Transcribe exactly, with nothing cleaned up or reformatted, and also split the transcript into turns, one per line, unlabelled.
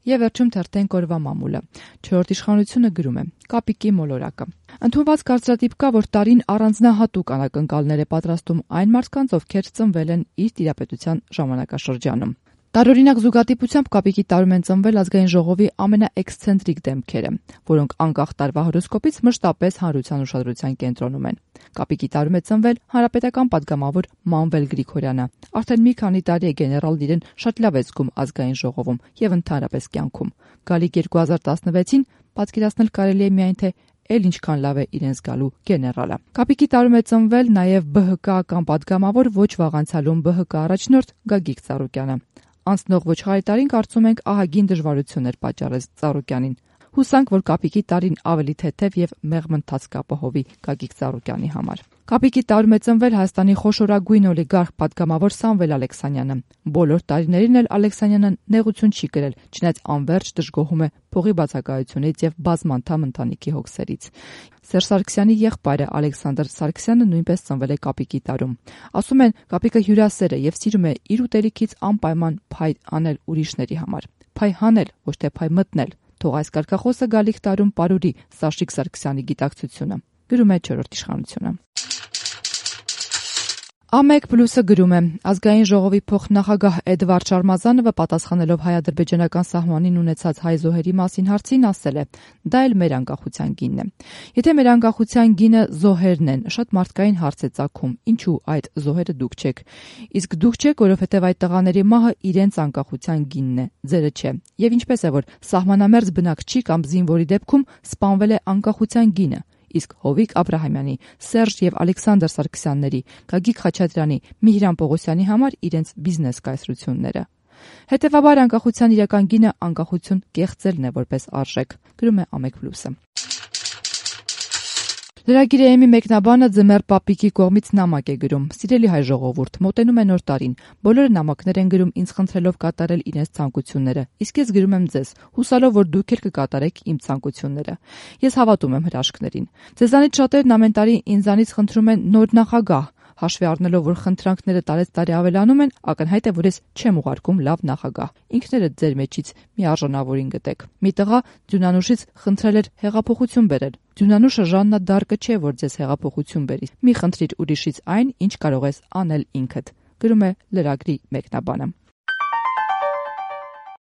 Եվ վերջում թերթենք օրվա մամուլը։ Չորրորդ իշխանությունը գրում է. Կապիկի մոլորակը։ Ընդունված կարծրատիպ կա, որ տարին առանձնահատուկ անակնկալներ է պատրաստում այն մարդկանց, ովքեր ծնվել են իր տիրապետության ժամանակաշրջանում։ Տարօրինակ զուգատիպությամբ Կապիկի տարում են ծնվել ազգային ժողովի ամենաէքսցենտրիկ դեմքերը, որոնք անկախ տարվա հորոսկոպից մշտապես հանրության ուշադրության կենտրոնում են։ Կապիկի տարում է ծնվել հանրապետական պատգամավոր Մանվել Գրիգորյանը։ Արդեն մի քանի տարի է գեներալ իրեն շատ լավ է զգում ազգային ժողովում եւ ընդհանրապես կյանքում։ Գալիք երկու հազար տասնվեցին պատկերացնել կարելի է միայն թե էլ ինչքան լավ է իրեն զգալու գեներալը։ Կապիկի տարում է ծնվել նաև бэ հը կա-ական պատգամավոր ոչ վաղ անցյալում бэ հը կա առաջնորդ Գագիկ Ծառուկյանը։ Անցնող ոչխարի տարին կարծում ենք ահագին դժվարություններ պատճառեց Ծառուկյանին։ Հուսանք, որ Կապիկի տարին ավելի թեթև եւ մեղմընթաց կապահովի Գագիկ Ծառուկյանի համար։ Կապիկի տարում է ծնվել Հայաստանի խոշորագույն օլիգարխ պատգամավոր Սամվել Ալեքսանյանը։ Բոլոր տարիներին էլ Ալեքսանյանը նեղություն չի կրել, չնայած անverջ դժգոհում է փողի բացակայությունից եւ բազմանդամ ընտանիքի հոգսերից։ Սերժ Սարգսյանի եղբայրը Ալեքսանդր Սարգսյանը նույնպես ծնվել է Կապիկի տարում։ Ասում են, Կապիկը հյուրասեր է եւ սիրում է իր ուտելիքից անպայման փայ անել ուրիշների համար։ Փայ հանել, ոչ թե փայ մտնել։ Թող այս կարգախոսը գալիք տարում պարուրի Սաշիկ Սարգսյանի գիտակցությունը։ Գրում է չորրորդ իշխանությունը։ Ա մեկ պլյուսը գրում է. ազգային ժողովի փոխնախագահ Էդվարդ Շարմազանովը պատասխանելով հայ-ադրբեջանական սահմանին ունեցած հայ զոհերի մասին հարցին ասել է. դա էլ մեր անկախության գինն է։ Եթե մեր անկախության գինը զոհերն են, շատ մարդկային հարց է ծագում, ինչու այդ զոհերը դուք չեք։ Իսկ դուք չեք, որովհետև այդ տղաների մահը իրենց անկախության գինն է, ձերը չէ։ Եվ ինչպես է, որ սահմանամերձ բնակչի կամ զինվորի դեպքում սպանվել է անկախության գինը, իսկ Հովիկ Աբրահամյանի, Սերժ եւ Ալեքսանդր Սարգսյանների, Գագիկ Խաչատրյանի, Միհրան Պողոսյանի համար իրենց բիզնես կայսրությունները։ Հետևաբար անկախության իրական գինը անկախություն կեղծելն է որպես արժեք, գրում է Ա մեկ պլյուսը։ Լրագիր Էմի մեկնաբանը Ձմեռ Պապիկի կողմից նամակ է գրում. Սիրելի հայ ժողովուրդ, մոտենում է նոր տարին։ Բոլորը նամակներ են գրում ինձ խնդրելով կատարել իրենց ցանկությունները։ Իսկ ես գրում եմ ձեզ, հուսալով, որ դուք էլ կկատարեք իմ ցանկությունները։ Ես հավատում եմ հրաշքներին։ Ձեզանից շատերն ամեն տարի ինձանից խնդրում են նոր նախագահ։ Հաշվի առնելով, որ խնդրանքները տարեց տարի ավելանում են, ակնհայտ է, որ ես չեմ ուղարկում լավ նախագահ։ Ինքներդ ձեր մեջից մի արժանավորին գտեք։ Մի տղա Ձյունանուշից խնդրել էր հեղափոխություն բերել։ Ձյունանուշը Ժաննա Դարկը չէ, որ ձեզ հեղափոխություն բերի։ Մի խնդրիր ուրիշից այն, ինչ կարող ես անել ինքդ։ Գրում է լրագրի մեկնաբանը։